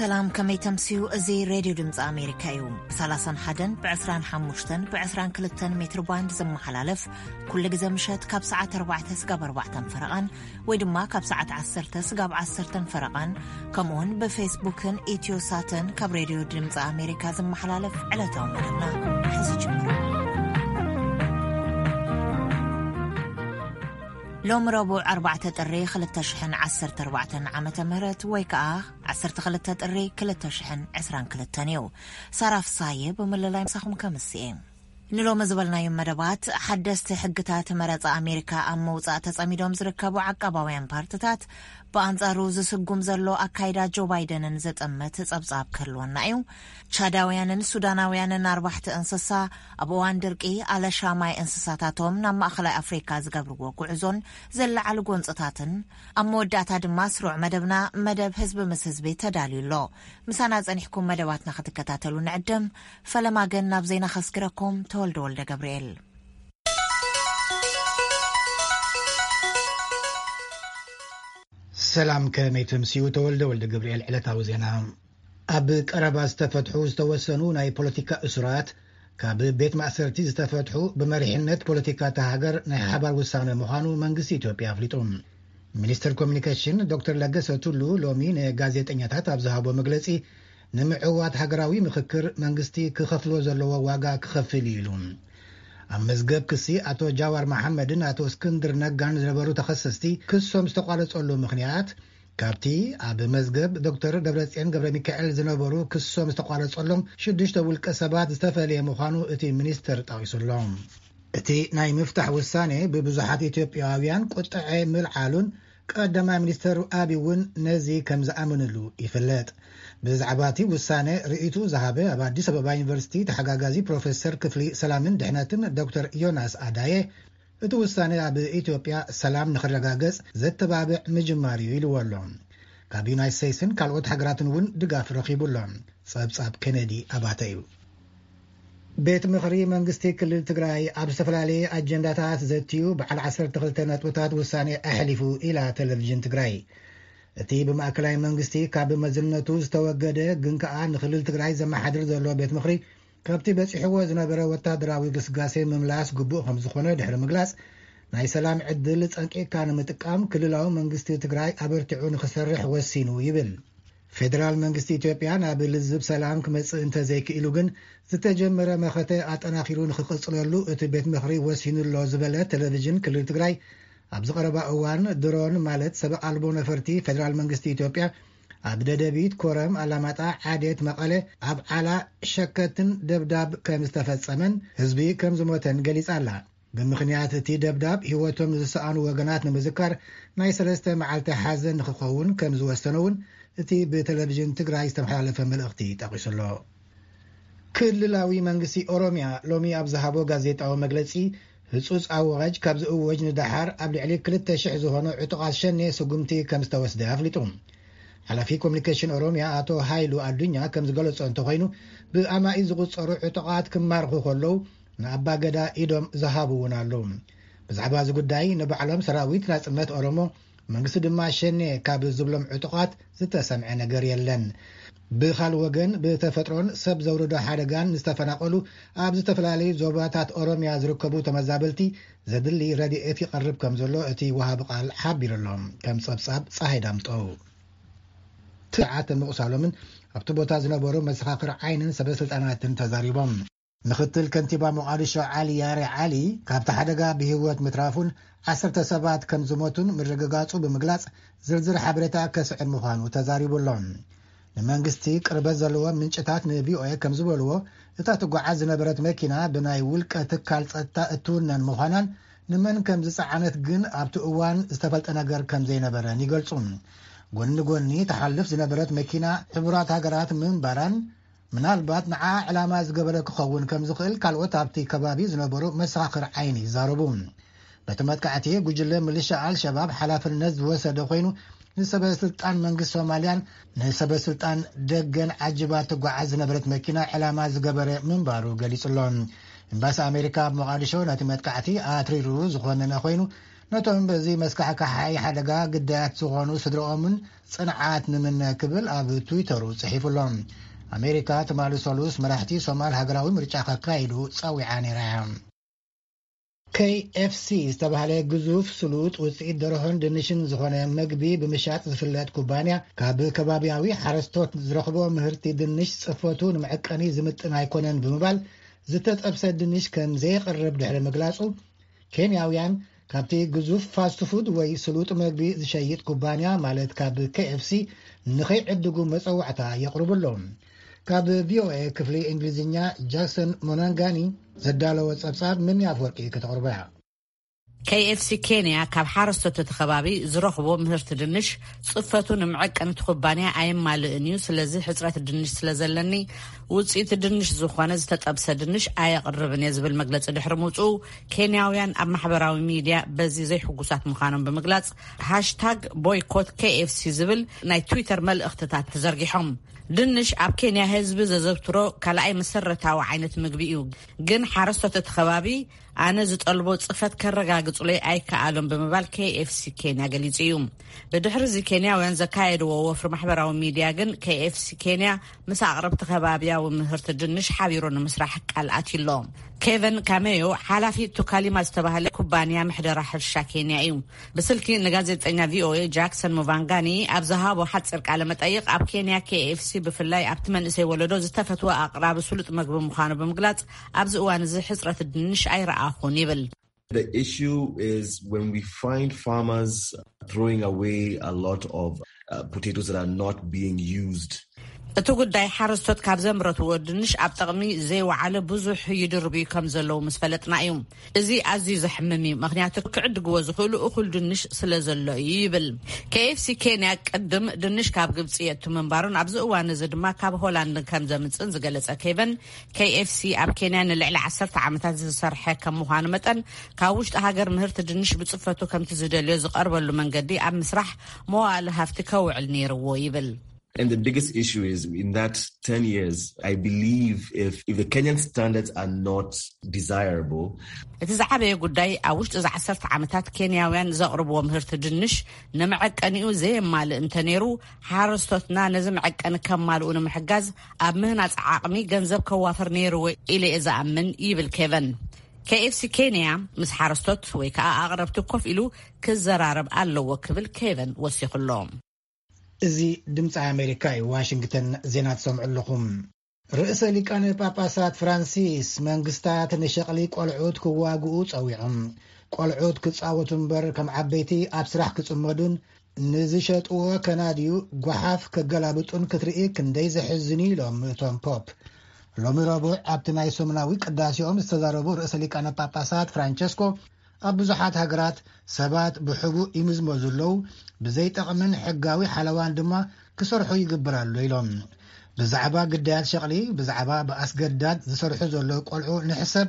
ሰላም፣ ከመይ ተምስዩ? እዚ ሬድዮ ድምፂ ኣሜሪካ እዩ። ብ31፣ ብ25፣ ብ22 ሜትር ባንድ ዝመሓላለፍ፣ ኩሉ ግዜ ምሸት ካብ ሰዓት ኣርባዕተ ስጋብ ኣርባዕተን ፈረቓን፣ ወይ ድማ ካብ ሰዓት ዓሰርተ ስጋብ ዓሰርተን ፈረቓን፣ ከምኡውን ብፌስቡክን ኢትዮ ሳትን ካብ ሬድዮ ድምፂ ኣሜሪካ ዝመሓላለፍ ዕለታዊ መደብና ሕዚ ጀምሩ። ሎሚ ረቡዕ ኣርባዕተ ጥሪ ክልተ ሽሕን ዓሰርተ ኣርባዕተን ዓመተ ምህረት፣ ወይ ከኣ ዓሰርተ ክልተ ጥሪ ክልተ ሽሕን ዕስራን ክልተን እዩ። ሳራ ፍሳየ ብምልላይ ምሳኹም ከምስኤ። ንሎሚ ዝበልናዮም መደባት፣ ሓደስቲ ሕግታት መረጻ ኣሜሪካ ኣብ ምውጻእ ተጸሚዶም ዝርከቡ ዓቃባውያን ፓርትታት፣ ብኣንጻሩ ዝስጉም ዘሎ ኣካይዳ ጆ ባይደንን ዝጥምት ጸብጻብ ክህልወና እዩ። ቻዳውያንን ሱዳናውያንን ኣርባሕቲ እንስሳ፣ ኣብ እዋን ድርቂ ኣለሻ ማይ እንስሳታቶም ናብ ማእከላይ ኣፍሪካ ዝገብርዎ ጉዕዞን ዝለዓሉ ጎንጽታትን። ኣብ መወዳእታ ድማ ስሩዕ መደብና፣ መደብ ህዝቢ ምስ ህዝቢ ተዳልዩ ኣሎ። ምሳና ጸኒሕኩም መደባትና ክትከታተሉ ንዕድም። ፈለማ ግን ናብ ዜና ከስግረኩም፣ ተወልደ ወልደ ገብርኤል። ሰላም፣ ከመይ ትምስዩ? ተወልደ ወልደ ገብርኤል። ዕለታዊ ዜና። ኣብ ቀረባ ዝተፈትሑ ዝተወሰኑ ናይ ፖለቲካ እሱራት ካብ ቤት ማእሰርቲ ዝተፈትሑ ብመሪሕነት ፖለቲካ እታ ሃገር ናይ ሓባር ውሳነ ምዃኑ መንግስቲ ኢትዮጵያ ኣፍሊጡ። ሚኒስትር ኮሚኒኬሽን ዶክተር ለገሰ ቱሉ ሎሚ ንጋዜጠኛታት ኣብ ዝሃቦ መግለጺ፣ ንምዕዋት ሃገራዊ ምኽክር መንግስቲ ክኸፍሎ ዘለዎ ዋጋ ክኸፍል እዩ ኢሉ። ኣብ መዝገብ ክሲ ኣቶ ጃዋር መሓመድን ኣቶ እስክንድር ነጋን ዝነበሩ ተኸሰስቲ ክሶም ዝተቋረጸሉ ምኽንያት፣ ካብቲ ኣብ መዝገብ ዶክተር ደብረጽዮን ገብረ ሚካኤል ዝነበሩ ክሶም ዝተቋረጸሎም ሽዱሽተ ውልቀ ሰባት ዝተፈለየ ምዃኑ እቲ ሚኒስተር ጠቒሱሎ። እቲ ናይ ምፍታሕ ውሳኔ ብብዙሓት ኢትዮጵያውያን ቁጥዐ ምልዓሉን ቀዳማይ ሚኒስተር ኣቢ እውን ነዚ ከም ዝኣመንሉ ይፍለጥ። ብዛዕባ እቲ ውሳኔ ርእይቱ ዝሃበ ኣብ ኣዲስ ኣበባ ዩኒቨርሲቲ ተሓጋጋዚ ፕሮፌሰር ክፍሊ ሰላምን ድሕነትን ዶክተር ዮናስ ኣዳየ፣ እቲ ውሳኔ ኣብ ኢትዮጵያ ሰላም ንኽረጋገጽ ዘተባብዕ ምጅማር እዩ ኢልዎ ኣሎ። ካብ ዩናይት ስቴትስን ካልኦት ሃገራትን እውን ድጋፍ ረኺቡ ኣሎ። ጸብጻብ ኬነዲ ኣባተ እዩ። ቤት ምኽሪ መንግስቲ ክልል ትግራይ ኣብ ዝተፈላለየ ኣጀንዳታት ዘትዩ በዓል ዓሰርተ ክልተ ነጥብታት ውሳኔ ኣሕሊፉ ኢላ ቴሌቪዥን ትግራይ። እቲ ብማእከላይ መንግስቲ ካብ መዝነቱ ዝተወገደ ግን ከኣ ንክልል ትግራይ ዘመሓድር ዘሎ ቤት ምኽሪ ካብቲ በጺሕዎ ዝነበረ ወታደራዊ ግስጋሴ ምምላስ ግቡእ ከም ዝኾነ ድሕሪ ምግላጽ፣ ናይ ሰላም ዕድል ጸንቂቕካ ንምጥቃም ክልላዊ መንግስቲ ትግራይ ኣበርቲዑ ንኽሰርሕ ወሲኑ ይብል። ፌደራል መንግስቲ ኢትዮጵያ ናብ ልዝብ ሰላም ክመጽእ እንተዘይክኢሉ ግን፣ ዝተጀመረ መኸተ ኣጠናኺሩ ንኽቕጽለሉ እቲ ቤት ምኽሪ ወሲኑ ኣሎ ዝበለ ቴሌቪዥን ክልል ትግራይ፣ ኣብዚ ቀረባ እዋን ድሮን ማለት ሰብ ኣልቦ ነፈርቲ ፌደራል መንግስቲ ኢትዮጵያ ኣብ ደደቢት፣ ኮረም፣ ኣላማጣ፣ ዓዴት፣ መቐለ፣ ኣብ ዓላ፣ ሸከትን ደብዳብ ከም ዝተፈጸመን ህዝቢ ከም ዝሞተን ገሊጻ ኣላ። ብምኽንያት እቲ ደብዳብ ህይወቶም ዝሰኣኑ ወገናት ንምዝካር ናይ ሰለስተ መዓልቲ ሓዘን ንክኸውን ከም ዝወሰነ እውን እቲ ብቴሌቪዥን ትግራይ ዝተመሓላለፈ መልእኽቲ ጠቒሱ ኣሎ። ክልላዊ መንግስቲ ኦሮሚያ ሎሚ ኣብ ዝሃቦ ጋዜጣዊ መግለጺ፣ ህጹጽ ኣዋጅ ካብ ዝእወጅ ንደሓር ኣብ ልዕሊ ክልተ ሽሕ ዝኾኑ ዕጡቓት ሸኔ ስጉምቲ ከም ዝተወስደ ኣፍሊጡ። ሓላፊ ኮሚኒኬሽን ኦሮሚያ ኣቶ ሃይሉ ኣዱኛ ከም ዝገለጾ እንተኾይኑ፣ ብኣማኢት ዝቑጸሩ ዕጡቓት ክማርኹ ከለዉ፣ ንኣባገዳ ኢዶም ዝሃቡ እውን ኣለዉ። ብዛዕባ እዚ ጉዳይ ንባዕሎም ሰራዊት ናጽነት ኦሮሞ፣ መንግስቲ ድማ ሸኔ ካብ ዝብሎም ዕጡቓት ዝተሰምዐ ነገር የለን። ብኻልእ ወገን፣ ብተፈጥሮን ሰብ ዘውርዶ ሓደጋን ንዝተፈናቐሉ፣ ኣብ ዝተፈላለዩ ዞባታት ኦሮሚያ ዝርከቡ ተመዛበልቲ ዘድሊ ረድኤት ይቐርብ ከም ዘሎ እቲ ወሃቢ ቃል ሓቢሩ ኣሎ። ከም ጸብጻብ ጸሃይ ዳምጠው። ትሽዓተ ምቑሳሎምን ኣብቲ ቦታ ዝነበሩ መሰኻኽር ዓይንን ሰበ ስልጣናትን ተዛሪቦም። ምኽትል ከንቲባ ሞቓዲሾ ዓሊ ያሬ ዓሊ፣ ካብቲ ሓደጋ ብህይወት ምትራፉን ዓሰርተ ሰባት ከም ዝሞቱን ምርግጋጹ ብምግላጽ፣ ዝርዝር ሓበሬታ ከስዕብ ምዃኑ ተዛሪቡ ኣሎ። ንመንግስቲ ቅርበት ዘለዎም ምንጭታት ንቪኦኤ ከም ዝበልዎ፣ እታ ትጓዓዝ ዝነበረት መኪና ብናይ ውልቀ ትካል ጸጥታ እትውነን ምዃናን፣ ንመን ከም ዝጸዓነት ግን ኣብቲ እዋን ዝተፈልጠ ነገር ከም ዘይነበረን ይገልጹ። ጎኒ ጎኒ ትሓልፍ ዝነበረት መኪና ሕቡራት ሃገራት ምንባራን፣ ምናልባት ንዓ ዕላማ ዝገበረ ክኸውን ከም ዝኽእል ካልኦት ኣብቲ ከባቢ ዝነበሩ መሰኻኽር ዓይኒ ይዛረቡ። በቲ መጥቃዕቲ፣ ጉጅለ ምልሻ ኣልሸባብ ሓላፍነት ዝወሰደ ኮይኑ፣ ንሰበ ስልጣን መንግስቲ ሶማልያን ንሰበ ስልጣን ደገን ዓጅባ ትጓዓዝ ዝነበረት መኪና ዕላማ ዝገበረ ምንባሩ ገሊጹ ኣሎ። ኤምባሲ ኣሜሪካ ኣብ ሞቓዲሾ ነቲ መጥቃዕቲ ኣትሪሩ ዝኾነነ ኮይኑ፣ ነቶም በዚ መስካሕካሓይ ሓደጋ ግዳያት ዝኾኑ ስድራኦምን ጽንዓት ንምነ ክብል ኣብ ትዊተሩ ጽሒፉ ኣሎ። ኣሜሪካ ትማሊ ሰሉስ መራሕቲ ሶማል ሃገራዊ ምርጫ ከካይዱ ጸዊዓ ነይራ እያ። ኬ ኤፍ ሲ ዝተባህለ ግዙፍ ስሉጥ ውፅኢት ደርሆን ድንሽን ዝኾነ መግቢ ብምሻጥ ዝፍለጥ ኩባንያ፣ ካብ ከባቢያዊ ሓረስቶት ዝረኽቦ ምህርቲ ድንሽ ጽፈቱ ንመዐቀኒ ዝምጥን ኣይኮነን ብምባል፣ ዝተጠብሰ ድንሽ ከም ዘየቕርብ ድሕሪ ምግላጹ፣ ኬንያውያን ካብቲ ግዙፍ ፋስት ፉድ ወይ ስሉጥ መግቢ ዝሸይጥ ኩባንያ፣ ማለት ካብ ኬ ኤፍ ሲ፣ ንኸይዕድጉ መጸዋዕታ የቕርቡ ኣለዉ። ካብ ቪ ኦ ኤ ክፍሊ እንግሊዝኛ፣ ጃክሰን ሞናንጋኒ ዘዳለወ ጸብጻብ፣ ምን ኣፍወርቂ ከተቕርቦ እያ። ኬ ኤፍ ሲ ኬንያ ካብ ሓረስቶት እቲ ከባቢ ዝረኽቦ ምህርቲ ድንሽ ጽፈቱ ንምዕቀን እቲ ኩባንያ ኣየማልእን እዩ። ስለዚ ሕጽረት ድንሽ ስለ ዘለኒ፣ ውጽኢት ድንሽ ዝኾነ ዝተጠብሰ ድንሽ ኣየቕርብን እየ ዝብል መግለጺ ድሕሪ ምውጽኡ፣ ኬንያውያን ኣብ ማሕበራዊ ሚድያ በዚ ዘይሕጉሳት ምዃኖም ብምግላጽ፣ ሃሽታግ ቦይኮት ኬ ኤፍ ሲ ዝብል ናይ ትዊተር መልእኽትታት ተዘርጊሖም። ድንሽ ኣብ ኬንያ ህዝቢ ዘዘውትሮ ካልኣይ መሰረታዊ ዓይነት ምግቢ እዩ። ግን ሓረስቶት እቲ ከባቢ፣ ኣነ ዝጠልቦ ጽፈት ከረጋግጹለይ ኣይከኣሎም ብምባል ኬ ኤፍ ሲ ኬንያ ገሊጹ እዩ። ብድሕሪ እዚ ኬንያውያን ዘካየድዎ ወፍሪ ማሕበራዊ ሚድያ ግን፣ ኬ ኤፍ ሲ ኬንያ ምስ ኣቕረብቲ ከባብያዊ ምህርቲ ድንሽ ሓቢሩ ንምስራሕ ቃል ኣትዩ ኣሎ። ኬቨን ካሜዮ፣ ሓላፊ ቱካሊማ ዝተባህለ ኩባንያ ምሕደራ ሕርሻ ኬንያ እዩ። ብስልኪ ንጋዜጠኛ ቪ ኦ ኤ ጃክሰን ሙቫንጋኒ ኣብ ዝሃቦ ሓጺር ቃለ መጠይቕ፣ ኣብ ኬንያ ኬ ኤፍ ሲ ብፍላይ ኣብቲ መንእሰይ ወለዶ ዝተፈትወ ኣቕራቢ ስሉጥ መግቢ ምዃኑ ብምግላጽ፣ ኣብዚ እዋን እዚ ሕጽረት ድንሽ ኣይረኣኹን ይብል። The issue is when we find farmers throwing away a lot of uh, potatoes that are not being used. እቲ ጉዳይ፣ ሓረስቶት ካብ ዘምረትዎ ድንሽ ኣብ ጥቕሚ ዘይወዓለ ብዙሕ ይድርብዩ ከም ዘለዉ ምስ ፈለጥና እዩ። እዚ ኣዝዩ ዘሕምም እዩ፣ ምኽንያቱ ክዕድግዎ ዝኽእሉ እኹል ድንሽ ስለ ዘሎ እዩ ይብል። ኬ ኤፍ ሲ ኬንያ ቅድም ድንሽ ካብ ግብጺ የእቱ ምንባሩን ኣብዚ እዋን እዚ ድማ ካብ ሆላንድ ከም ዘምጽእን ዝገለጸ ኬቨን፣ ኬ ኤፍ ሲ ኣብ ኬንያ ንልዕሊ ዓሰርተ ዓመታት ዝሰርሐ ከም ምዃኑ መጠን፣ ካብ ውሽጢ ሃገር ምህርቲ ድንሽ ብጽፈቱ ከምቲ ዝደልዮ ዝቐርበሉ መንገዲ ኣብ ምስራሕ መዋእለ ሃፍቲ ከውዕል ነይርዎ ይብል። And the biggest issue is, in that ten years, I believe if, if the Kenyan standards are not desirable, እቲ ዝዓበየ ጉዳይ፣ ኣብ ውሽጢ እዚ ዓሰርተ ዓመታት ኬንያውያን ዘቕርብዎ ምህርቲ ድንሽ ንመዐቀኒኡ ዘየማልእ እንተነይሩ፣ ሓረስቶትና ነዚ መዐቀኒ ከማልኡ ንምሕጋዝ ኣብ ምህናጽ ዓቕሚ ገንዘብ ከዋፍር ነይርዎ ኢለ እየ ዝኣምን ይብል ኬቨን። ኬ ኤፍ ሲ ኬንያ ምስ ሓረስቶት ወይ ከዓ ኣቕረብቲ ኮፍ ኢሉ ክዘራረብ ኣለዎ ክብል ኬቨን ወሲኹ ኣሎ። እዚ ድምፂ ኣሜሪካ እዩ። ዋሽንግተን ዜና ትሰምዑ ኣለኹም። ርእሰ ሊቃነ ጳጳሳት ፍራንሲስ መንግስታት ንሸቕሊ ቆልዑት ክዋግኡ ጸዊዖም። ቆልዑት ክጻወቱ እምበር ከም ዓበይቲ ኣብ ስራሕ ክጽመዱን ንዝሸጥዎ ከናድዩ ጓሓፍ ከገላብጡን ክትርኢ ክንደይ ዘሕዝን እዩ ኢሎም እቶም ፖፕ። ሎሚ ረቡዕ ኣብቲ ናይ ሰሙናዊ ቅዳሴኦም ዝተዛረቡ ርእሰ ሊቃነ ጳጳሳት ፍራንቸስኮ፣ ኣብ ብዙሓት ሃገራት ሰባት ብሕቡእ ይምዝመዙ ኣለዉ፣ ብዘይጠቕምን ሕጋዊ ሓለዋን ድማ ክሰርሑ ይግበር ኣሎ ኢሎም። ብዛዕባ ግዳያት ሸቕሊ፣ ብዛዕባ ብኣስገዳድ ዝሰርሑ ዘለዉ ቆልዑ ንሕሰብ፣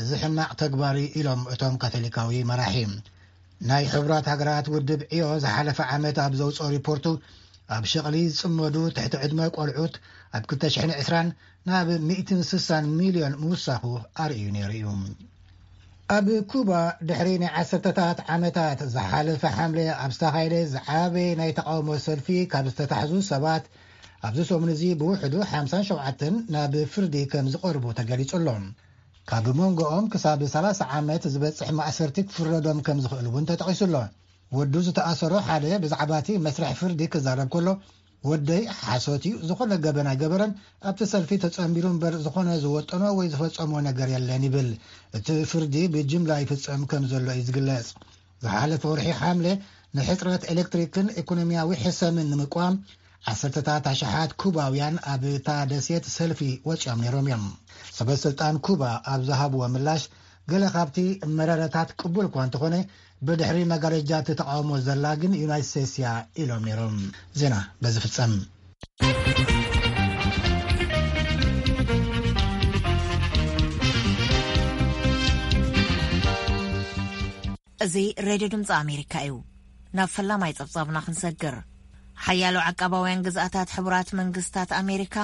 እዚ ሕማቕ ተግባር እዩ ኢሎም እቶም ካቶሊካዊ መራሒ። ናይ ሕቡራት ሃገራት ውድብ ዕዮ ዝሓለፈ ዓመት ኣብ ዘውፅኦ ሪፖርቱ፣ ኣብ ሸቕሊ ዝፅመዱ ትሕቲ ዕድመ ቆልዑት ኣብ ክልተ ሽሕን ዕስራን ናብ ሚእትን ስሳን ሚልዮን ምውሳኹ ኣርእዩ ነይሩ እዩ። ኣብ ኩባ ድሕሪ ናይ ዓሰርተታት ዓመታት ዝሓለፈ ሓምለ ኣብ ዝተኻየደ ዝዓበየ ናይ ተቃውሞ ሰልፊ ካብ ዝተታሕዙ ሰባት ኣብዚ ሰሙን እዚ ብውሕዱ ሓምሳን ሸውዓተን ናብ ፍርዲ ከም ዝቐርቡ ተገሊጹ ኣሎ። ካብ መንጎኦም ክሳብ ሰላሳ ዓመት ዝበጽሕ ማእሰርቲ ክፍረዶም ከም ዝኽእል እውን ተጠቒሱ ኣሎ። ወዱ ዝተኣሰሮ ሓደ ብዛዕባ እቲ መስርሕ ፍርዲ ክዛረብ ከሎ፣ ወደይ ሓሶት እዩ፣ ዝኾነ ገበን ኣይገበረን፣ ኣብቲ ሰልፊ ተጸንቢሩ እምበር ዝኾነ ዝወጠኖ ወይ ዝፈጸሞ ነገር የለን ይብል። እቲ ፍርዲ ብጅምላ ይፍጸም ከም ዘሎ እዩ ዝግለጽ። ዝሓለፈ ወርሒ ሓምለ ንሕጽረት ኤሌክትሪክን ኢኮኖሚያዊ ሕሰምን ንምቋም ዓሰርተታት ኣሽሓት ኩባውያን ኣብ እታ ደሴት ሰልፊ ወጺኦም ነይሮም እዮም። ሰበ ስልጣን ኩባ ኣብ ዝሃብዎ ምላሽ፣ ገለ ካብቲ መረረታት ቅቡል እኳ እንተኾነ፣ ብድሕሪ መጋረጃ እቲ ተቃውሞ ዘላ ግን ዩናይትድ ስቴትስ እያ ኢሎም ነይሮም። ዜና በዚ ፍጸም። እዚ ሬድዮ ድምፂ ኣሜሪካ እዩ። ናብ ፈላማይ ጸብጻብና ክንሰግር። ሓያሎ ዓቃባውያን ግዝኣታት ሕቡራት መንግስታት ኣሜሪካ፣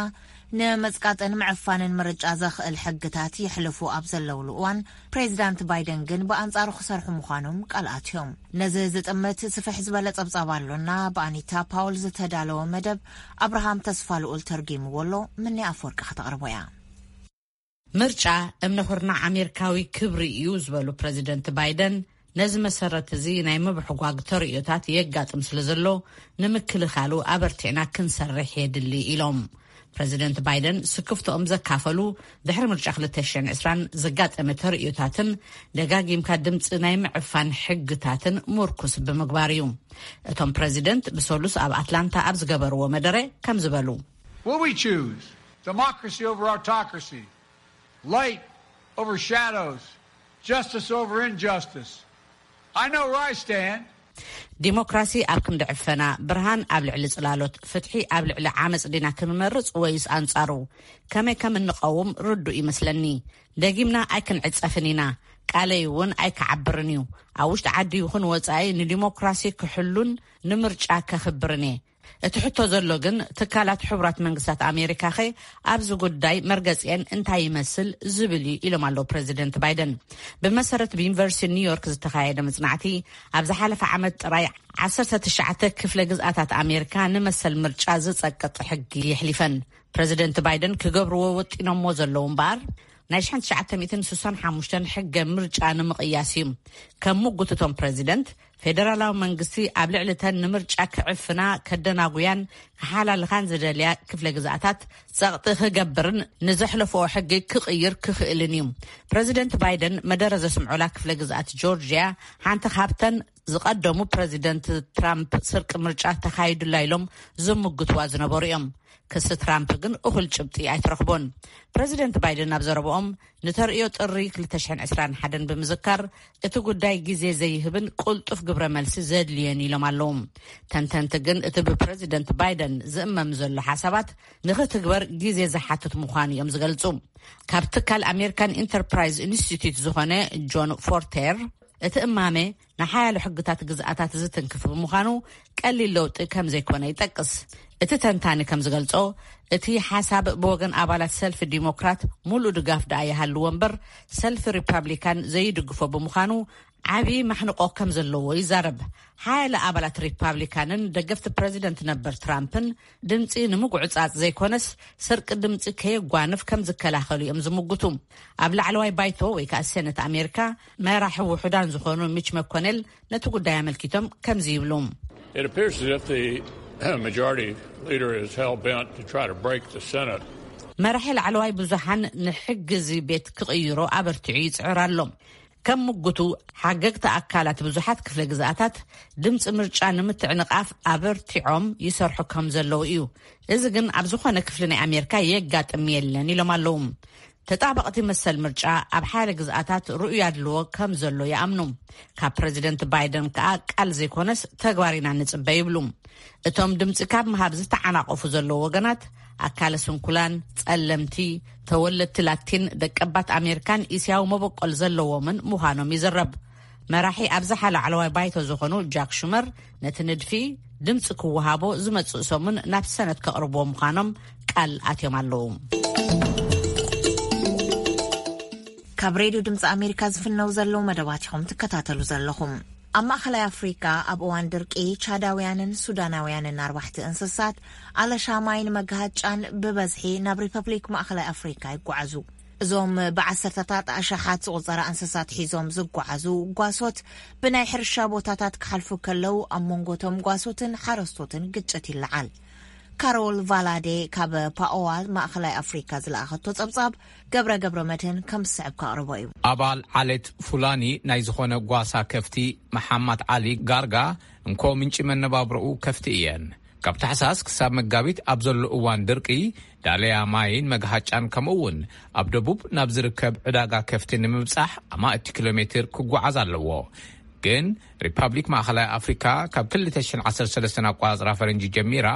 ንመጽቃጥን ምዕፋንን ምርጫ ዘኽእል ሕግታት የሕልፉ ኣብ ዘለውሉ እዋን፣ ፕሬዚዳንት ባይደን ግን ብኣንጻሩ ክሰርሑ ምዃኖም ቃል ኣትዮም። ነዚ ዝጥምት ስፍሕ ዝበለ ጸብጻብ ኣሎና። ብኣኒታ ፓውል ዝተዳለወ መደብ፣ ኣብርሃም ተስፋ ልኡል ተርጊምዎ ኣሎ። ምኒ ኣፈወርቂ ከተቕርቦ እያ። ምርጫ እምነ ኩርናዕ ኣሜሪካዊ ክብሪ እዩ ዝበሉ ፕሬዚደንት ባይደን፣ ነዚ መሰረት እዚ ናይ ምብሕጓግ ተርእዮታት የጋጥም ስለ ዘሎ፣ ንምክልኻሉ ኣበርቲዕና ክንሰርሕ የድሊ ኢሎም። ፕሬዚደንት ባይደን ስክፍቶኦም ዘካፈሉ፣ ድሕሪ ምርጫ ክልተ ሽሕን ዕስራን ዘጋጠመ ተርእዮታትን ደጋጊምካ ድምፂ ናይ ምዕፋን ሕግታትን ምርኩስ ብምግባር እዩ። እቶም ፕሬዚደንት ብሰሉስ ኣብ ኣትላንታ ኣብ ዝገበርዎ መደረ ከም ዝበሉ፣ Will we choose democracy over autocracy, light over shadows, justice over injustice? I know where I stand. ዲሞክራሲ ኣብ ክንዲ ዕፈና፣ ብርሃን ኣብ ልዕሊ ጽላሎት፣ ፍትሒ ኣብ ልዕሊ ዓመጽ ዲና ክንመርጽ ወይስ ኣንጻሩ? ከመይ ከም እንቐውም ርዱእ ይመስለኒ። ደጊምና ኣይክንዕጸፍን ኢና። ቃለይ እውን ኣይክዓብርን እዩ። ኣብ ውሽጢ ዓዲ ይኹን ወጻኢ ንዲሞክራሲ ክሕሉን ንምርጫ ከኽብርን እየ። እቲ ሕቶ ዘሎ ግን፣ ትካላት ሕቡራት መንግስታት ኣሜሪካኸ ኣብዚ ጉዳይ መርገጺአን እንታይ ይመስል ዝብል እዩ ኢሎም ኣለዉ ፕሬዚደንት ባይደን። ብመሰረት ብዩኒቨርሲቲ ኒውዮርክ ዝተኻየደ መጽናዕቲ፣ ኣብ ዝሓለፈ ዓመት ጥራይ ዓሰርተ ትሽዓተ ክፍለ ግዝኣታት ኣሜሪካ ንመሰል ምርጫ ዝጸቅጥ ሕጊ የሕሊፈን። ፕሬዚደንት ባይደን ክገብርዎ ወጢኖሞ ዘለዉ እምበኣር፣ ናይ ሽሕን ትሽዓተ ሚእትን ስሳን ሓሙሽተን ሕገ ምርጫ ንምቕያስ እዩ። ከም ምጉትቶም ፕሬዚደንት፣ ፌደራላዊ መንግስቲ ኣብ ልዕሊ እተን ንምርጫ ክዕፍና፣ ከደናጉያን ክሓላልኻን ዝደልያ ክፍለ ግዝኣታት ጸቕጢ ክገብርን ንዘሕለፍኦ ሕጊ ክቕይር ክኽእልን እዩ። ፕሬዚደንት ባይደን መደረ ዘስምዑላ ክፍለ ግዝኣት ጆርጅያ ሓንቲ ካብተን ዝቐደሙ ፕሬዚደንት ትራምፕ ስርቂ ምርጫ ተኻይዱላ ኢሎም ዝምግትዋ ዝነበሩ እዮም። ክሲ ትራምፕ ግን እኹል ጭብጢ ኣይትረኽቦን። ፕሬዚደንት ባይደን ኣብ ዘረብኦም፣ ንተርእዮ ጥሪ ክልተ ሽሕን ዕስራን ሓደን ብምዝካር፣ እቲ ጉዳይ ግዜ ዘይህብን ቅልጡፍ ግብረ መልሲ ዘድልዮን ኢሎም ኣለዉ። ተንተንቲ ግን፣ እቲ ብፕሬዚደንት ባይደን ዝእመም ዘሎ ሓሳባት ንኽትግበር ግዜ ዝሓትት ምዃኑ እዮም ዝገልጹ። ካብ ትካል ኣሜሪካን ኢንተርፕራይዝ ኢንስቲትዩት ዝኾነ ጆን ፎርቴር፣ እቲ እማመ ንሓያሎ ሕግታት ግዝኣታት ዝትንክፍ ብምዃኑ፣ ቀሊል ለውጢ ከም ዘይኮነ ይጠቅስ። እቲ ተንታኒ ከም ዝገልጾ፣ እቲ ሓሳብ ብወገን ኣባላት ሰልፊ ዲሞክራት ሙሉእ ድጋፍ ደኣ ይሃልዎ እምበር፣ ሰልፊ ሪፓብሊካን ዘይድግፎ ብምዃኑ፣ ዓቢ ማሕንቆ ከም ዘለዎ ይዛረብ። ሓያለ ኣባላት ሪፓብሊካንን ደገፍቲ ፕሬዚደንት ነበር ትራምፕን፣ ድምጺ ንምጉዕጻጽ ዘይኮነስ፣ ስርቂ ድምጺ ከየጓንፍ ከም ዝከላኸሉ እዮም ዝምጉቱ። ኣብ ላዕለዋይ ባይቶ ወይ ከኣ ሴነት ኣሜሪካ፣ መራሒ ውሑዳን ዝኾኑ ሚች መኮኔል ነቲ ጉዳይ ኣመልኪቶም ከምዚ ይብሉ። It appears as if the majority leader is hell bent to try to break the Senate. መራሒ ላዕለዋይ ብዙሓን ንሕጊ እዚ ቤት ክቕይሮ ኣበርቲዑ ይጽዕር ኣሎ። ከም ምጉቱ፣ ሓገግቲ ኣካላት ብዙሓት ክፍለ ግዝኣታት ድምፂ ምርጫ ንምትዕንቓፍ ኣበርቲዖም ይሰርሑ ከም ዘለዉ እዩ። እዚ ግን ኣብ ዝኾነ ክፍሊ ናይ ኣሜሪካ የጋጥም የለን ኢሎም ኣለዉ። ተጣበቕቲ መሰል ምርጫ ኣብ ሓደ ግዝኣታት ርኡይ ኣድልዎ ከም ዘሎ ይኣምኑ። ካብ ፕሬዚደንት ባይደን ከኣ ቃል ዘይኮነስ ተግባር ኢና ንጽበ ይብሉ። እቶም ድምጺ ካብ ምሃብ ዝተዓናቐፉ ዘለዉ ወገናት፣ ኣካለ ስንኩላን፣ ጸለምቲ፣ ተወለድቲ ላቲን፣ ደቀባት ኣሜሪካን እስያዊ መበቆል ዘለዎምን ምዃኖም ይዝረብ። መራሒ ኣብዝሓ ላዕለዋይ ባይቶ ዝኾኑ ጃክ ሹመር፣ ነቲ ንድፊ ድምጺ ክወሃቦ ዝመጽእ ሰሙን ናብ ሰነት ከቕርብዎ ምዃኖም ቃል ኣትዮም ኣለዉ። ካብ ሬድዮ ድምፂ ኣሜሪካ ዝፍነው ዘለዉ መደባት ኢኹም ትከታተሉ ዘለኹም። ኣብ ማእኸላይ ኣፍሪካ ኣብ እዋን ድርቂ፣ ቻዳውያንን ሱዳናውያንን ኣርባሕቲ እንስሳት ኣለሻ ማይን መጋሃጫን ብበዝሒ ናብ ሪፐብሊክ ማእኸላይ ኣፍሪካ ይጓዓዙ። እዞም ብዓሰርተታት ኣሽሓት ዝቑጸራ እንስሳት ሒዞም ዝጓዓዙ ጓሶት፣ ብናይ ሕርሻ ቦታታት ክሓልፉ ከለዉ፣ ኣብ መንጎ እቶም ጓሶትን ሓረስቶትን ግጭት ይለዓል። ካሮል ቫላዴ ካብ ፓኦዋ ማእኸላይ ኣፍሪካ ዝለኣኸቶ ጸብጻብ፣ ገብረ ገብረ መድህን ከም ዝስዕብ ከቕርቦ እዩ። ኣባል ዓሌት ፉላኒ ናይ ዝኾነ ጓሳ ከፍቲ፣ መሓማት ዓሊ ጋርጋ፣ እንኮ ምንጪ መነባብሮኡ ከፍቲ እየን። ካብ ታሕሳስ ክሳብ መጋቢት ኣብ ዘሎ እዋን ድርቂ፣ ዳለያ ማይን መግሃጫን፣ ከምኡ እውን ኣብ ደቡብ ናብ ዝርከብ ዕዳጋ ከፍቲ ንምብጻሕ ኣማእቲ ኪሎ ሜትር ክጓዓዝ ኣለዎ። ግን ሪፓብሊክ ማእኸላይ ኣፍሪካ ካብ ክልተ ሽሕን ዓሰርተ ሰለስተን ኣቋራፅራ ፈረንጂ ጀሚራ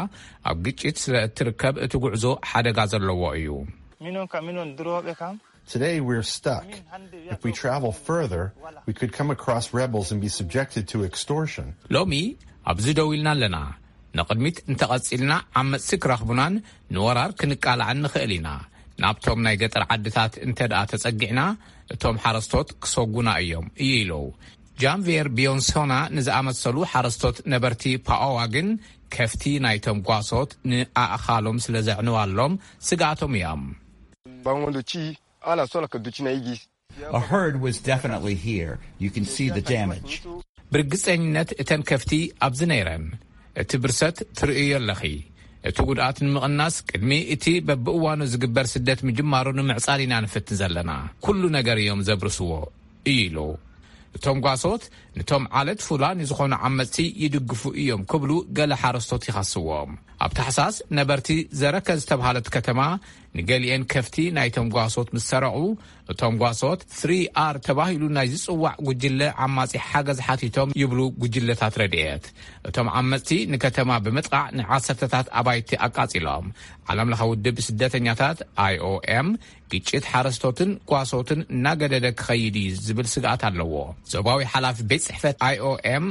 ኣብ ግጭት ስለ እትርከብ፣ እቲ ጉዕዞ ሓደጋ ዘለዎ እዩ። Today we're stuck. If we travel further, we could come across rebels and be subjected to extortion. ሎሚ ኣብዚ ደው ኢልና ኣለና። ንቕድሚት እንተቐጺልና ዓመጽቲ ክረኽቡናን ንወራር ክንቃላዕን ንኽእል ኢና። ናብቶም ናይ ገጠር ዓድታት እንተ ደኣ ተጸጊዕና እቶም ሓረስቶት ክሰጉና እዮም እዩ ኢሉ። ጃንቪየር ቢዮንሶና ንዝኣመሰሉ ሓረስቶት ነበርቲ ፓኦዋ ግን ከፍቲ ናይቶም ጓሶት ንኣእኻሎም ስለ ዘዕንዋሎም ስግኣቶም እዮም። Bango do ti ala sola ka do ti na igi. A herd was definitely here. You can see the damage. ብርግጸኝነት እተን ከፍቲ ኣብዚ ነይረን። እቲ ብርሰት ትርእዮ ኣለኺ። እቲ ጉድኣት ንምቕናስ ቅድሚ እቲ በብእዋኑ ዝግበር ስደት ምጅማሩ ንምዕጻል ኢና ንፍትን ዘለና። ኩሉ ነገር እዮም ዘብርስዎ እዩ ኢሉ። እቶም ጓሶት ንቶም ዓለት ፉላኒ ዝኾኑ ዓመጽቲ ይድግፉ እዮም ክብሉ ገለ ሓረስቶት ይኸስዎም። ኣብ ታሕሳስ ነበርቲ ዘረከ ዝተብሃለት ከተማ ንገሊኤን ከፍቲ ናይቶም ጓሶት ምስ ሰረቑ፣ እቶም ጓሶት ስሪ ኣር ተባሂሉ ናይ ዝጽዋዕ ጉጅለ ዓማጺ ሓገዝ ሓቲቶም ይብሉ ጉጅለታት ረድኤት። እቶም ዓመጽቲ ንከተማ ብምጥቓዕ ንዓሰርተታት ኣባይቲ ኣቃጺሎም። ዓለምለኸ ውድብ ስደተኛታት ኣይ ኦ ኤም ግጭት ሓረስቶትን ጓሶትን እናገደደ ክኸይድ እዩ ዝብል ስግኣት ኣለዎ። ዞባዊ ሓላፊ ቤት ጽሕፈት ኣይ ኦ ኤም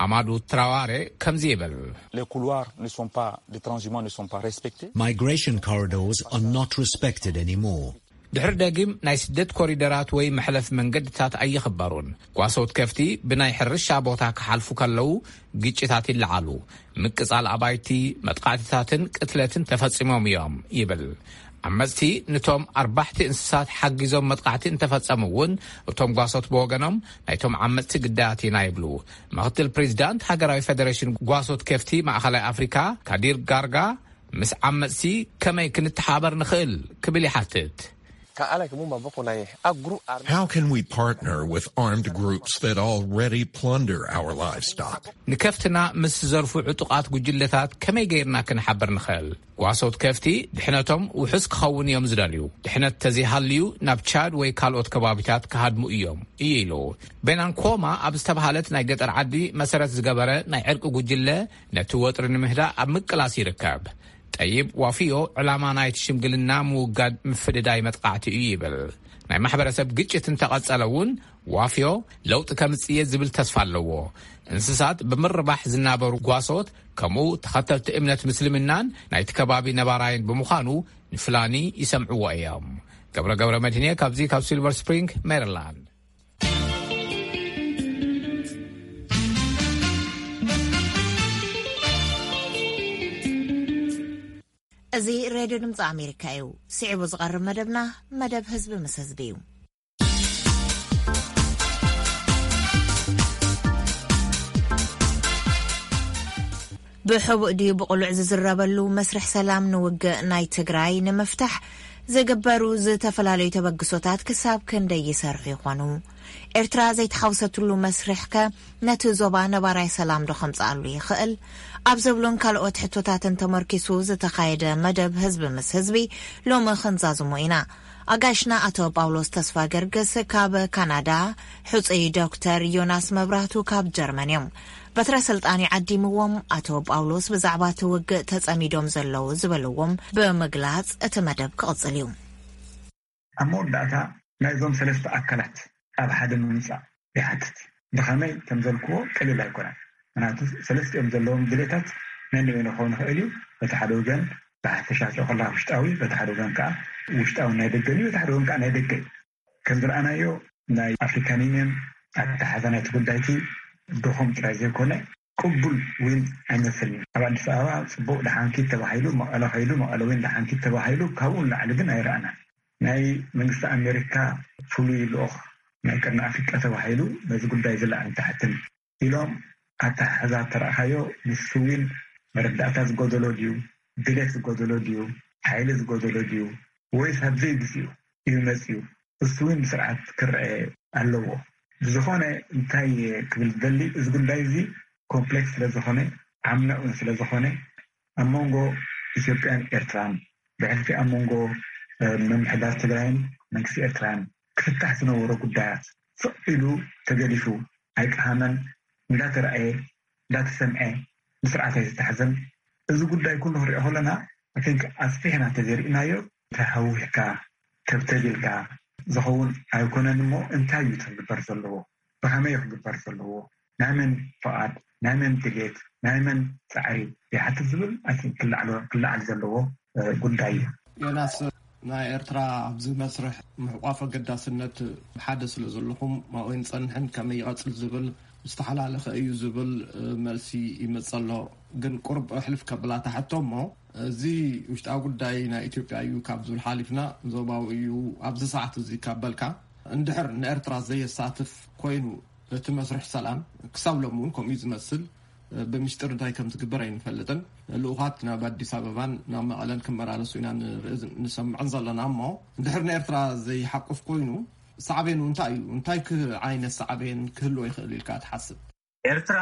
ኣማዱ ትራዋሬ ከምዚ ይብል። Les couloirs ne sont pas, les transhumants ne sont pas respectés. Migration corridors are not respected anymore. ድሕሪ ደጊም ናይ ስደት ኮሪደራት ወይ መሕለፍ መንገድታት ኣይኽበሩን። ጓሶት ከፍቲ ብናይ ሕርሻ ቦታ ክሓልፉ ከለዉ ግጭታት ይለዓሉ። ምቅጻል ኣባይቲ፣ መጥቃዕትታትን ቅትለትን ተፈጺሞም እዮም ይብል። ዓመጽቲ ንቶም ኣርባሕቲ እንስሳት ሓጊዞም መጥቃዕቲ እንተፈጸሙ እውን እቶም ጓሶት ብወገኖም ናይቶም ዓመጽቲ ግዳያት ኢና ይብሉ። ምክትል ፕሬዚዳንት ሃገራዊ ፌደሬሽን ጓሶት ከፍቲ ማእኸላይ ኣፍሪካ ካዲር ጋርጋ ምስ ዓመጽቲ ከመይ ክንተሓበር ንኽእል ክብል ይሓትት። Ka ala ke mu maboko na ye. A group armé. How can we partner with armed groups that already plunder our livestock? ንከፍትና ምስ ዘርፉ ዕጡቓት ጉጅለታት ከመይ ገይርና ክንሓብር ንኽእል? ጓሶት ከፍቲ ድሕነቶም ውሑስ ክኸውን እዮም ዝደልዩ። ድሕነት ተዘይሃልዩ ናብ ቻድ ወይ ካልኦት ከባቢታት ክሃድሙ እዮም እዩ ኢሉ። ቤናንኮማ ኣብ ዝተባሃለት ናይ ገጠር ዓዲ መሰረት ዝገበረ ናይ ዕርቂ ጉጅለ ነቲ ወጥሪ ንምህዳእ ኣብ ምቅላስ ይርከብ። ጠይብ ዋፍዮ ዕላማ ናይቲ ሽምግልና ምውጋድ ምፍድዳይ መጥቃዕቲ እዩ ይብል። ናይ ማሕበረሰብ ግጭት እንተቐጸለ እውን ዋፍዮ ለውጢ ከምጽእ እየ ዝብል ተስፋ ኣለዎ። እንስሳት ብምርባሕ ዝናበሩ ጓሶት ከምኡ ተኸተልቲ እምነት ምስልምናን ናይቲ ከባቢ ነባራይን ብምዃኑ ንፍላኒ ይሰምዕዎ እዮም። ገብረ ገብረ መድህንየ ካብዚ ካብ ሲልቨር ስፕሪንግ ሜሪላንድ። እዚ ሬድዮ ድምፂ ኣሜሪካ እዩ። ስዒቡ ዝቐርብ መደብና መደብ ህዝቢ ምስ ህዝቢ እዩ። ብሕቡእ ድዩ ብቕሉዕ ዝዝረበሉ መስርሕ ሰላም ንውግእ ናይ ትግራይ ንምፍታሕ ዝግበሩ ዝተፈላለዩ ተበግሶታት ክሳብ ክንደይ ይሰርሑ ይኾኑ? ኤርትራ ዘይተሓውሰትሉ መስርሕከ ነቲ ዞባ ነባራይ ሰላም ዶ ከምጽኣሉ ይኽእል? ኣብ ዝብሉን ካልኦት ሕቶታትን ተመርኪሱ ዝተኻየደ መደብ ህዝቢ ምስ ህዝቢ ሎሚ ክንዛዝሞ ኢና። ኣጋይሽና ኣቶ ጳውሎስ ተስፋ ገርግስ ካብ ካናዳ፣ ሕጹይ ዶክተር ዮናስ መብራህቱ ካብ ጀርመን እዮም። በትረ ስልጣን ይዓዲምዎም ኣቶ ጳውሎስ ብዛዕባ እቲ ውግእ ተጸሚዶም ዘለዉ ዝበልዎም ብምግላጽ እቲ መደብ ክቕጽል እዩ። ኣብ መወዳእታ ናይዞም ሰለስተ ኣካላት ኣብ ሓደ ምምጻእ ይሓትት። ብኸመይ ከም ዘልክዎ ቀሊል ኣይኮነን። ምክንያቱ ሰለስቲኦም ዘለዎም ድሌታት ነንበይኑ ክኸውን ይኽእል እዩ። በቲ ሓደ ወገን ብሓፈሻ ከላ ውሽጣዊ፣ በቲ ሓደ ወገን ከዓ ውሽጣዊ ናይ ደገን እዩ፣ በቲ ሓደ ወገን ከዓ ናይ ደገ እዩ። ከም ዝረኣናዮ ናይ ኣፍሪካን ዩኒየን ኣተሓዛ ናይቲ ጉዳይቲ ድኹም ጥራይ ዘይኮነ ቅቡል እውን ኣይመስልን እዩ። ኣብ ኣዲስ ኣበባ ፅቡቅ ደሓንኪት ተባሂሉ መቐለ ከይዱ፣ መቐለ እውን ደሓንኪት ተባሂሉ፣ ካብኡ ንላዕሊ ግን ኣይረኣናን። ናይ መንግስቲ ኣሜሪካ ፍሉይ ልኡኽ ናይ ቀርኒ ኣፍሪቃ ተባሂሉ ነዚ ጉዳይ ዝለዓል ታሕትን ኢሎም ኣተሓሕዛ ተረእኻዮ፣ ንሱ እውን መረዳእታ ዝጎደሎ ድዩ፣ ድሌት ዝጎደሎ ድዩ፣ ሓይሊ ዝጎደሎ ድዩ፣ ወይስ ኣብ ዘይግዚኡ እዩ መፂኡ? እሱ እውን ብስርዓት ክረአ ኣለዎ። ብዝኾነ እንታይ ክብል ዝደሊ፣ እዚ ጉዳይ እዚ ኮምፕሌክስ ስለ ዝኾነ፣ ዓሚቕ እውን ስለ ዝኾነ፣ ኣብ መንጎ ኢትዮጵያን ኤርትራን፣ ብሕልፊ ኣብ መንጎ ምምሕዳር ትግራይን መንግስቲ ኤርትራን ክፍታሕ ዝነበሮ ጉዳያት ስቕ ኢሉ ተገዲፉ፣ ኣይቀሃመን፣ እንዳተረኣየ እንዳተሰምዐ ብስርዓት ኣይዝተሓዘን። እዚ ጉዳይ ኩሉ ክንሪኦ ከለና፣ I think፣ ኣስፊሕና እንተዘይርኢናዮ፣ ተሃዊኽካ፣ ተብተቢልካ ዝኸውን ኣይኮነን። እሞ እንታይ እዩ ክግበር ዘለዎ? ብኸመይ እዩ ክግበር ዘለዎ? ናይ መን ፍቓድ፣ ናይ መን ድሌት፣ ናይ መን ጻዕሪ ይሓትት ዝብል ኣይ ቲንክ ክለዓል ክለዓል ዘለዎ ጉዳይ እዩ። ዮናስ፣ ናይ ኤርትራ ኣብዚ መስርሕ ምሕቋፍ ኣገዳስነት ሓደ ስለ ዘለኹም ኣብኡ ንጸንሕን ከመይ ይቐጽል ዝብል ዝተሓላለኸ እዩ ዝብል መልሲ ይመጽእ ኣሎ። ግን ቁርብ ሕልፍ ከብላ ተሓቶ እሞ፣ እዚ ውሽጣዊ ጉዳይ ናይ ኢትዮጵያ እዩ ካብ ዝብል ሓሊፍና ዞባዊ እዩ ኣብዚ ሰዓት እዚ ካብ በልካ፣ እንድሕር ንኤርትራ ዘየሳትፍ ኮይኑ እቲ መስርሕ ሰላም፣ ክሳብ ሎሚ እውን ከምኡ እዩ ዝመስል። ብምስጢር እንታይ ከም ዝግበር ኣይንፈልጥን። ልኡኻት ናብ ኣዲስ ኣበባን ናብ መቐለን ክመላለሱ ኢና ንርኢ ንሰምዕን ዘለና። እሞ እንድሕር ንኤርትራ ዘይሓቁፍ ኮይኑ ሳዕቤኑ እንታይ እዩ? እንታይ ክ- ዓይነት ሳዕቤን ክህልዎ ይኽእል ኢልካ ትሓስብ? ኤርትራ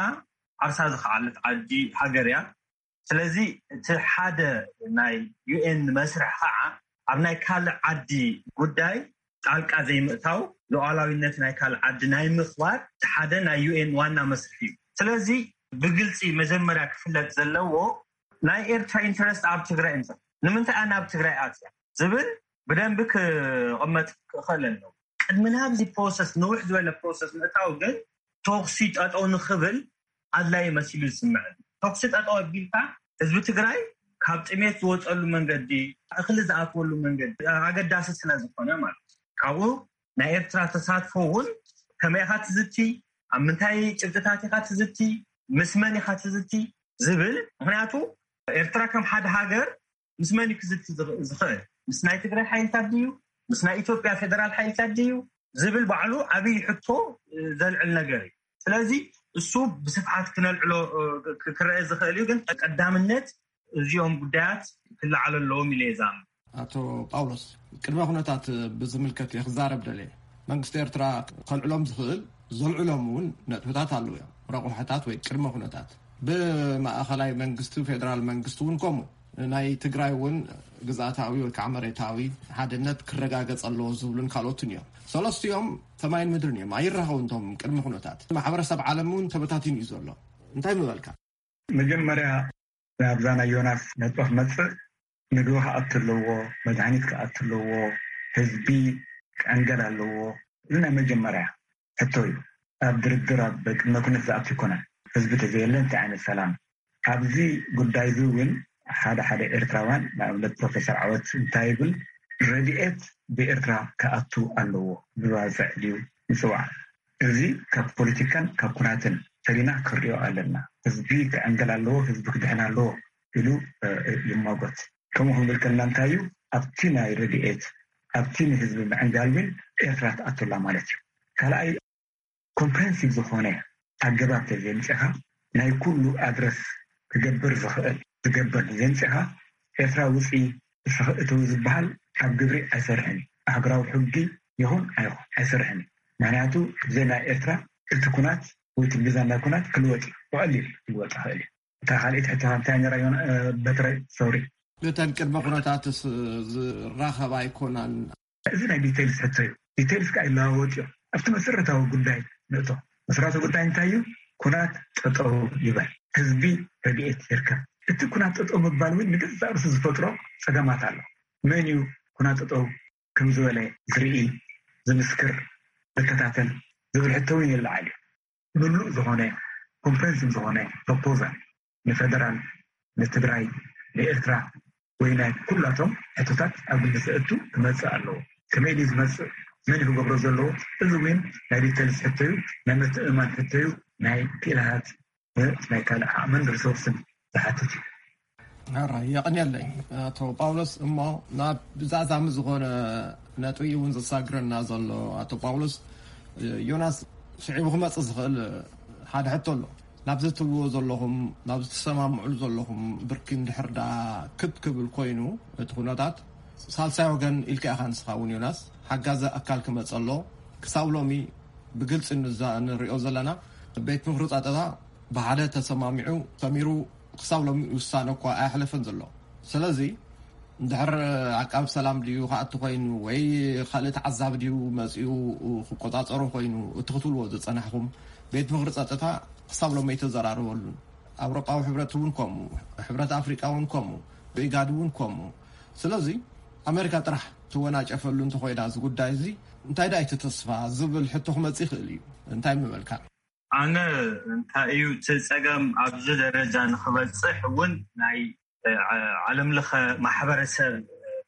ዓርሳ ዝኸዓለት ዓዲ ሃገር እያ። ስለዚ እቲ ሓደ ናይ ዩ ኤን መስርሕ ከዓ ኣብ ናይ ካልእ ዓዲ ጉዳይ ጣልቃ ዘይምእታው፣ ሉዓላዊነት ናይ ካልእ ዓዲ ናይ ምኽባር እቲ ሓደ ናይ ዩ ኤን ዋና መስርሕ እዩ። ስለዚ ብግልፂ መጀመርያ ክፍለጥ ዘለዎ ናይ ኤርትራ ኢንተረስት ኣብ ትግራይ እንተ ንምንታይ ኣነ ኣብ ትግራይ ኣትያ ዝብል ብደንቢ ክቕመጥ ክኽእል ኣለዎ። ቅድሚ ናብዚ ፕሮሰስ ንውሕ ዝበለ ፕሮሰስ ምእታው ግን ተኹሲ ጠጠው ንኽብል ኣድላይ መሲሉ ዝስምዐኒ። ተኹሲ ጠጠው ኣቢልካ ህዝቢ ትግራይ ካብ ጥሜት ዝወፀሉ መንገዲ፣ እኽሊ ዝኣትወሉ መንገዲ ኣገዳሲ ስለ ዝኾነ ማለት እዩ። ካብኡ ናይ ኤርትራ ተሳትፎ እውን ከመይ ኢኻ ትዝቲ፣ ኣብ ምንታይ ጭብጥታት ኢኻ ትዝቲ፣ ምስ መን ኢኻ ትዝቲ ዝብል። ምክንያቱ ኤርትራ ከም ሓደ ሃገር ምስ መን እዩ ክዝቲ ዝኽ- ዝኽእል? ምስ ናይ ትግራይ ሓይልታት ድዩ? ምስ ናይ ኢትዮጵያ ፌደራል ሓይልታት ድዩ ዝብል ባዕሉ ዓብዪ ሕቶ ዘልዕል ነገር እዩ። ስለዚ እሱ ብስፍሓት ክነልዕሎ ክ- ክረአ ዝኽእል እዩ። ግን ቀዳምነት እዚኦም ጉዳያት ክለዓሉ ኣለዎም ኢለ እየ ዝኣምን። ኣቶ ጳውሎስ፣ ቅድመ ኩነታት ብዝምልከት እየ ክዛረብ ደልየ። መንግስቲ ኤርትራ ከልዕሎም ዝኽእል፣ ዘልዕሎም እውን ነጥብታት ኣለዉ እዮም። ረቑሐታት ወይ ቅድመ ኩነታት። ብማእኸላይ መንግስቲ፣ ፌደራል መንግስቲ እውን ከምኡ። ናይ ትግራይ እውን ግዝኣታዊ ወይ ከዓ መሬታዊ ሓድነት ክረጋገጽ ኣለዎ ዝብሉን ካልኦትን እዮም። ሰለስቲኦም ሰማይን ምድርን እዮም። ኣይራኸቡን እቶም ቅድመ ኩነታት። ማሕበረሰብ ዓለም እውን ተበታቲኑ እዩ ዘሎ። እንታይ ምበልካ? መጀመርያ ናብዛ ናይ ዮናስ ነጥቢ ክመጽእ፣ ምግቢ ክኣቱ ኣለዎ፣ መድሃኒት ክኣቱ ኣለዎ፣ ህዝቢ ክዕንገል ኣለዎ። እዚ ናይ መጀመርያ ሕቶ እዩ። ኣብ ድርድር ኣብ ቅድመ ኩነት ዝኣቱ ኣይኮነን። ህዝቢ ተዘየለ እንታይ ዓይነት ሰላም? ኣብዚ ጉዳይ እዚ እውን ሓደ ሓደ ኤርትራውያን፣ ንኣብነት ፕሮፌሰር ዓወት እንታይ ይብል፣ ረድኤት ብኤርትራ ክኣቱ ኣለዎ፣ ብባጽዕ ድዩ ይጽዋዕ? እዚ ካብ ፖለቲካን ካብ ኩናትን ፈሊና ክንሪኦ ኣለና። ህዝቢ ክዕንገል ኣለዎ፣ ህዝቢ ክድሕን ኣለዎ ኢሉ ይማጎት። ከምኡ ክንብል ከለና እንታይ እዩ? ኣብቲ ናይ ረድኤት፣ ኣብቲ ንህዝቢ ምዕንጋል እውን ኤርትራ ትኣቱላ ማለት እዩ። ካልኣይ፣ ኮምፕሬንሲቭ ዝኾነ ኣገባብ ተዘምፅኻ፣ ናይ ኩሉ ኣድረስ ክገብር ዝኽእል ክገብር ዘምፅኻ፣ ኤርትራ ውፂ፣ እስኺ እተዊ ዝበሃል ኣብ ግብሪ ኣይሰርሕን እዩ። ኣህጉራዊ ሕጊ ይኹን ኣይኹን ኣይሰርሕን እዩ። ምክንያቱ ብዘይ ናይ ኤርትራ እቲ ኩናት ወይ እቲ ሚዛን ናይ ኩናት ክልወጥ እዩ። ብቐሊል ክልወጥ ይኽእል እዩ። እታ ካልኣይቲ ሕቶ እንታይ ነራ ዮና በትረ ሶሪ? እተን ቅድመ ኩነታትስ ዝራኸባ ኣይኮናን። እዚ ናይ ዲቴልስ ሕቶ እዩ። ዲቴልስ ከዓ ይለዋወጥ እዮም። ኣብቲ መሰረታዊ ጉዳይ ንእቶ። መሰረታዊ ጉዳይ እንታይ እዩ? ኩናት ጠጠው ይበል፣ ህዝቢ ረድኤት ይርከብ። እቲ ኩናት ጠጠው ምባል እውን ንገዛእ ርእሱ ዝፈጥሮ ፀገማት ኣሎ። መን እዩ ኩናት ጠጠው ከም ዝበለ ዝርኢ፣ ዝምስክር፣ ዝከታተል ዝብል ሕቶ እውን ይለዓል እዩ። ምሉእ ዝኾነ ኮምፕሬንሲቭ ዝኾነ ፕሮፖዛል ንፌደራል፣ ንትግራይ፣ ንኤርትራ ወይ ናይ ኩላቶም ሕቶታት ኣብ ግምት ዘእቱ ክመፅእ ኣለዎ። ከመይ ድዩ ዝመፅእ? መን እዩ ክገብሮ ዘለዎ? እዚ እውን ናይ ዲቴልስ ሕቶ እዩ፣ ናይ ምትእምማን ሕቶ እዩ፣ ናይ ክኢላታት ናይ ካልእ ዓቕምን ሪሶርስን ዝሓትት እዩ። ሕራይ የቐንየለይ ኣቶ ጳውሎስ። እሞ ናብ ብዛዛሚ ዝኾነ ነጥቢ እውን ዘሳግረና ዘሎ ኣቶ ጳውሎስ፣ ዮናስ ስዒቡ ክመጽእ ዝኽእል ሓደ ሕቶ ኣሎ። ናብ ዝትውዎ ዘለኹም፣ ናብ ዝተሰማምዑሉ ዘለኹም ብርኪ እንድሕር ደኣ ክብ ክብል ኮይኑ እቲ ኩነታት፣ ሳልሳይ ወገን ኢልካ ኢኻ ንስኻ እውን ዮናስ፣ ሓጋዚ ኣካል ክመጽእ ኣሎ። ክሳብ ሎሚ ብግልጺ ንዛ- ንሪኦ ዘለና ቤት ምኽሪ ጸጥታ ብሓደ ተሰማሚዑ ሰሚሩ ክሳብ ሎሚ ውሳነ እኳ ኣየሕለፈን ዘሎ። ስለዚ እንድሕር ዓቃብ ሰላም ድዩ ክኣቱ ኮይኑ ወይ ካልእ ተዓዛቢ ድዩ መጺኡ ክቆጻጸሮ ኮይኑ እቲ ክትብልዎ ዝጸናሕኩም ቤት ምኽሪ ጸጥታ ክሳብ ሎሚ ኣይተዘራረበሉን። ኣውሮጳዊ ሕብረት እውን ከምኡ፣ ሕብረት ኣፍሪቃ እውን ከምኡ፣ ብኢጋድ እውን ከምኡ። ስለዚ ኣሜሪካ ጥራሕ ትወናጨፈሉ እንተኾይና እዚ ጉዳይ እዚ እንታይ ደኣ እቲ ተስፋ ዝብል ሕቶ ክመጽእ ይኽእል እዩ። እንታይ ምበልካ? ኣነ እንታይ እዩ እቲ ጸገም ኣብዚ ደረጃ ንኽበጽሕ እውን ናይ ዓ- ዓለም ለኸ ማሕበረሰብ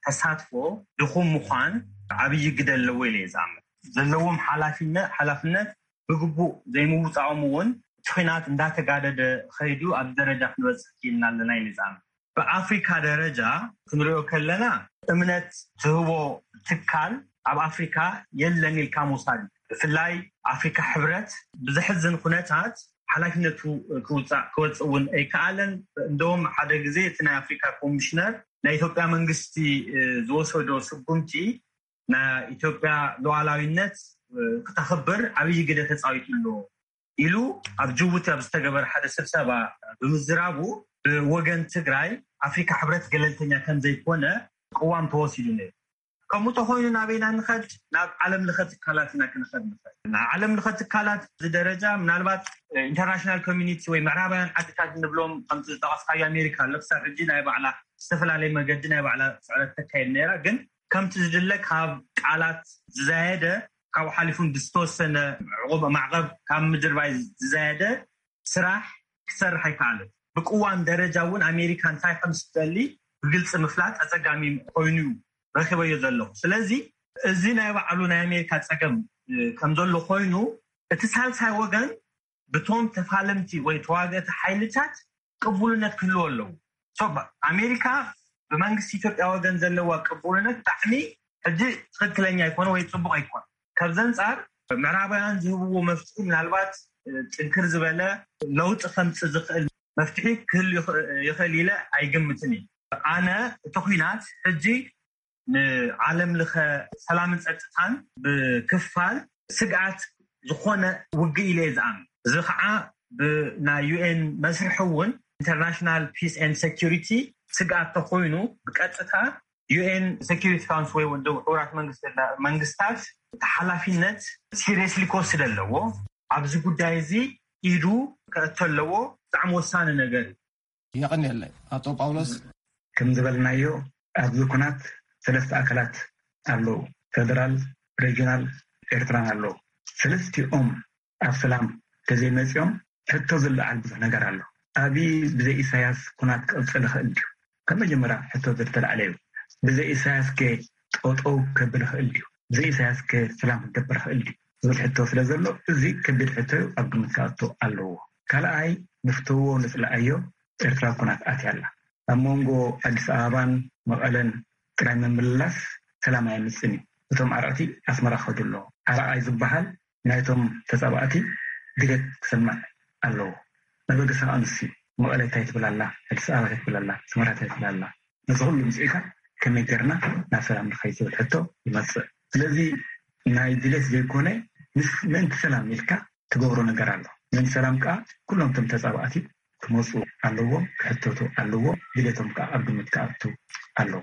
ተሳትፎ ድኹም ምዃን ዓብዪ ግደ ኣለዎ ኢለ እየ ዝኣምን። ዘለዎም ሓላፊነት ሓላፍነት ብግቡእ ዘይምውፃኦም እውን እቲ ኹናት እንዳተጋደደ ኸይዱ ኣብዚ ደረጃ ክንበፅሕ ክኢልና ኣለና ኢለ ዝኣምን። ብኣፍሪካ ደረጃ ክንሪኦ ከለና እምነት ዝህቦ ትካል ኣብ ኣፍሪካ የለን ኢልካ ምውሳድ እዩ። ብፍላይ ኣፍሪካ ሕብረት ብዘሕዝን ኩነታት ሓላፍነቱ ክውፃእ ክወፅእ እውን ኣይከኣለን። እንደውም ሓደ ግዜ እቲ ናይ ኣፍሪካ ኮሚሽነር ናይ ኢትዮጵያ መንግስቲ ዝወሰዶ ስጉምቲ ናይ ኢትዮጵያ ሉዓላዊነት ክተኽብር ዓብዪ ግደ ተፃዊቱ ኣሎ ኢሉ ኣብ ጅቡቲ ኣብ ዝተገበረ ሓደ ስብሰባ ብምዝራቡ ብወገን ትግራይ ኣፍሪካ ሕብረት ገለልተኛ ከም ዘይኮነ ቅዋም ተወሲዱ ነይሩ። ከምኡ ተኮይኑ ናበይና ንኸድ ናብ ዓለም ለኸ ትካላት ኢና ክንኸድ ንኸድ ናብ ዓለም ለኸ ትካላት እዚ ደረጃ ምናልባት ኢንተርናሽናል ኮሚኒቲ ወይ ምዕራባውያን ዓድታት ንብሎም ከምቲ ዝጠቀስካዮ ኣሜሪካ ኣሎ ክሳብ ሕጂ ናይ ባዕላ ዝተፈላለየ መገዲ ናይ ባዕላ ስዕረት ተካየድ ነይራ ግን ከምቲ ዝድለ ካብ ቃላት ዝዛየደ ካብኡ ሓሊፉን ብዝተወሰነ ዕቑብ ማዕቐብ ካብ ምድርባይ ዝዛየደ ስራሕ ክሰርሕ ኣይከኣለን። ብቅዋም ደረጃ እውን ኣሜሪካ እንታይ ከም ዝደሊ ብግልፂ ምፍላጥ ኣፀጋሚ ኮይኑ ረኪበዮ ዘለኹ። ስለዚ እዚ ናይ ባዕሉ ናይ ኣሜሪካ ፀገም ከም ዘሎ ኮይኑ እቲ ሳልሳይ ወገን ብቶም ተፋለምቲ ወይ ተዋገእቲ ሓይልታት ቅቡልነት ክህልዎ ኣለዎ። ኣሜሪካ ብመንግስቲ ኢትዮጵያ ወገን ዘለዋ ቅቡልነት ብጣዕሚ ሕጂ ትኽክለኛ ኣይኮነ ወይ ፅቡቅ ኣይኮነ። ካብዚ ኣንፃር ምዕራባውያን ዝህብዎ መፍትሒ ምናልባት ጥንክር ዝበለ ለውጢ ከምፅእ ዝኽእል መፍትሒ ክህል ይኽእል ኢለ ኣይግምትን እዩ። ኣነ እቲ ኩናት ሕጂ ንዓለም ለኸ ሰላምን ፀጥታን ብክፋል ስግኣት ዝኾነ ውግእ ኢለ እየ ዝኣምን። እዚ ከዓ ብናይ ዩ ኤን መስርሒ እውን ኢንተርናሽናል ፒስ ኤንድ ሴኪሪቲ ስግኣት ተኮይኑ ብቀጥታ ዩ ኤን ሴኪሪቲ ካውንስል ወይ ውድብ ሕቡራት መንግስታት ተሓላፊነት ሲሪየስሊ ክወስድ ኣለዎ። ኣብዚ ጉዳይ እዚ ኢዱ ከእቶ ኣለዎ። ብጣዕሚ ወሳኒ ነገር እዩ። የቐንየለይ ኣቶ ጳውሎስ። ከም ዝበልናዮ ኣብዚ ኩናት ሰለስተ ኣካላት ኣለዉ። ፌደራል፣ ሬጅናል፣ ኤርትራን ኣለዉ። ሰለስቲኦም ኣብ ሰላም ተዘይመፂኦም ሕቶ ዝለዓል ብዙሕ ነገር ኣሎ። ኣብይ ብዘይ ኢሳያስ ኩናት ክቕፅል ይኽእል ድዩ? ካብ መጀመርያ ሕቶ ዝተለዓለ እዩ። ብዘይ ኢሳያስ ከ ጠጠው ከብል ይኽእል ድዩ? ብዘይ ኢሳያስ ከ ሰላም ክገብር ይኽእል ድዩ? ዝብል ሕቶ ስለ ዘሎ እዚ ከቢድ ሕቶ እዩ፣ ኣብ ግምት ክኣቱ ኣለዎ። ካልኣይ ንፍተዎ ንፅልኣዮ ኤርትራ ኩናት ኣትያ ኣላ። ኣብ መንጎ ኣዲስ ኣበባን መቐለን ጥራይ ምምልላስ ሰላም ኣየምፅን እዩ። እቶም ዓረቕቲ ኣስመራ ክኸዱ ኣለዎ። ዓረቓይ ዝበሃል ናይቶም ተፃባእቲ ድሌት ክሰምዕ ኣለዎ። መበገሲ ከዓ ንሱ እዩ። መቐለ እንታይ ትብል ኣላ፣ ኣዲስ ኣበባ እንታይ ትብል ኣላ፣ ኣስመራ እንታይ ትብል ኣላ፣ ነዚ ኩሉ ምፅኢካ ከመይ ጌርና ናብ ሰላም ንኸይድ ዝብል ሕቶ ይመፅእ። ስለዚ ናይ ድሌት ዘይኮነ ምስ ምእንቲ ሰላም ኢልካ ትገብሮ ነገር ኣሎ። ምእንቲ ሰላም ከዓ ኩሎም እቶም ተፃባእቲ ክመፁ ኣለዎም፣ ክሕተቱ ኣለዎም፣ ድሌቶም ከዓ ኣብ ግምት ክኣቱ ኣለዎ።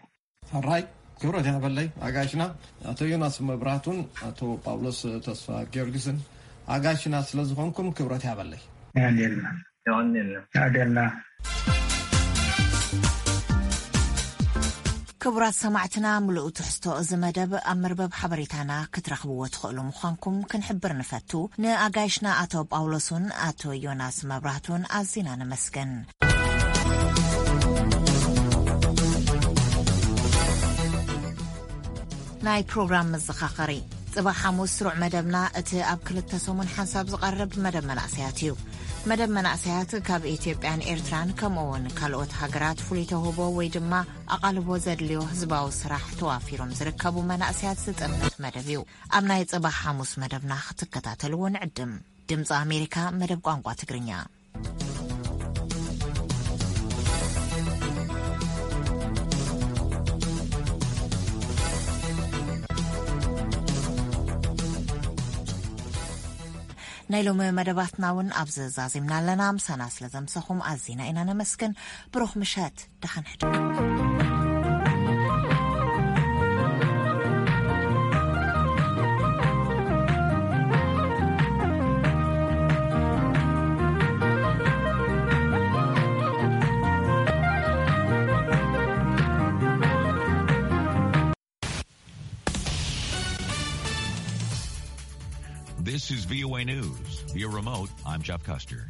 ሕራይ ክብረት ያበለይ ኣጋሽና ኣቶ ዮናስ መብራቱን ኣቶ ጳውሎስ ተስፋ ጊዮርጊስን ኣጋሽና ስለ ዝኾንኩም ክብረት ያበለይ። የቐንየልና። የቐንየልና። የቐንየልና። ክቡራት ሰማዕትና፣ ምሉእ ትሕዝቶ እዚ መደብ ኣብ መርበብ ሓበሬታና ክትረኽብዎ ትኽእሉ ምዃንኩም ክንሕብር ንፈቱ። ንኣጋይሽና ኣቶ ጳውሎስን ኣቶ ዮናስ መብራህቱን ኣዚና ነመስግን። ናይ ፕሮግራም መዘኻኸሪ። ጽባሕ ሓሙስ ስሩዕ መደብና እቲ ኣብ ክልተ ሰሙን ሓንሳብ ዝቐርብ መደብ መናእሰያት እዩ። መደብ መናእሰያት ካብ ኢትዮጵያን ኤርትራን ከምኡ እውን ካልኦት ሃገራት ፍሉይ ተውህቦ ወይ ድማ ኣቓልቦ ዘድልዮ ህዝባዊ ስራሕ ተዋፊሮም ዝርከቡ መናእሰያት ዝጥምት መደብ እዩ። ኣብ ናይ ጽባሕ ሓሙስ መደብና ክትከታተልዎ ንዕድም። ድምፂ ኣሜሪካ መደብ ቋንቋ ትግርኛ። ናይ ሎሚ መደባትና እውን ኣብዚ ዛዚምና ኣለና። ምሳና ስለ ዘምሰኹም ኣዚና ኢና ነመስግን። ብሩኽ ምሸት። ደሓን ሕድሩ። This is V O A News. Via remote, I'm Jeff Custer.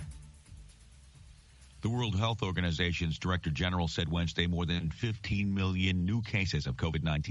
The World Health Organization's Director General said Wednesday more than fifteen million new cases of COVID nineteen